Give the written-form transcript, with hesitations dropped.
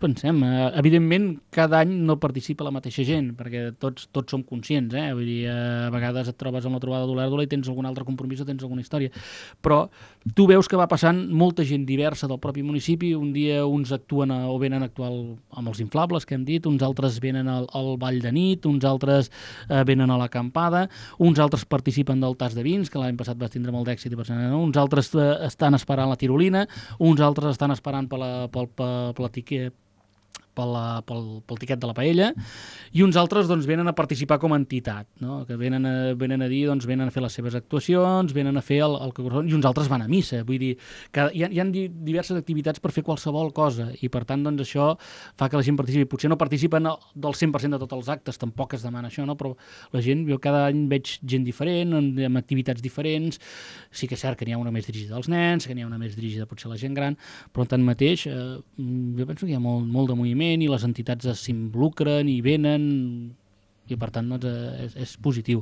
Pensem, evidentment cada any no participa la mateixa gent, perquè tots som conscients, vull dir, a vegades et trobes en la trobada d'Olèrdola i tens algun altre compromís o tens alguna història, però tu veus que va passant molta gent diversa del propi municipi, un dia uns actuen o venen a actuar amb els inflables que hem dit, uns altres venen al ball de nit, uns altres venen a l'acampada, uns altres participen del tas de vins, que l'any passat va tindre molt d'èxit, uns altres estan esperant la tirolina, uns altres estan esperant pel tiquet de la paella, i uns altres doncs, venen a participar com a entitat, no? Que venen a dir, doncs, venen a fer les seves actuacions, venen a fer el que correspon, i uns altres van a missa. Vull dir, que hi ha diverses activitats per fer qualsevol cosa, i per tant doncs, això fa que la gent participi. Potser no participen del 100% de tots els actes, tampoc es demana això, no? Però la gent, jo cada any veig gent diferent, amb activitats diferents. Sí que és cert que n'hi ha una més dirigida als nens, que n'hi ha una més dirigida potser a la gent gran, però tanmateix jo penso que hi ha molt de moviment i les entitats s'involucren i venen i per tant doncs, és positiu.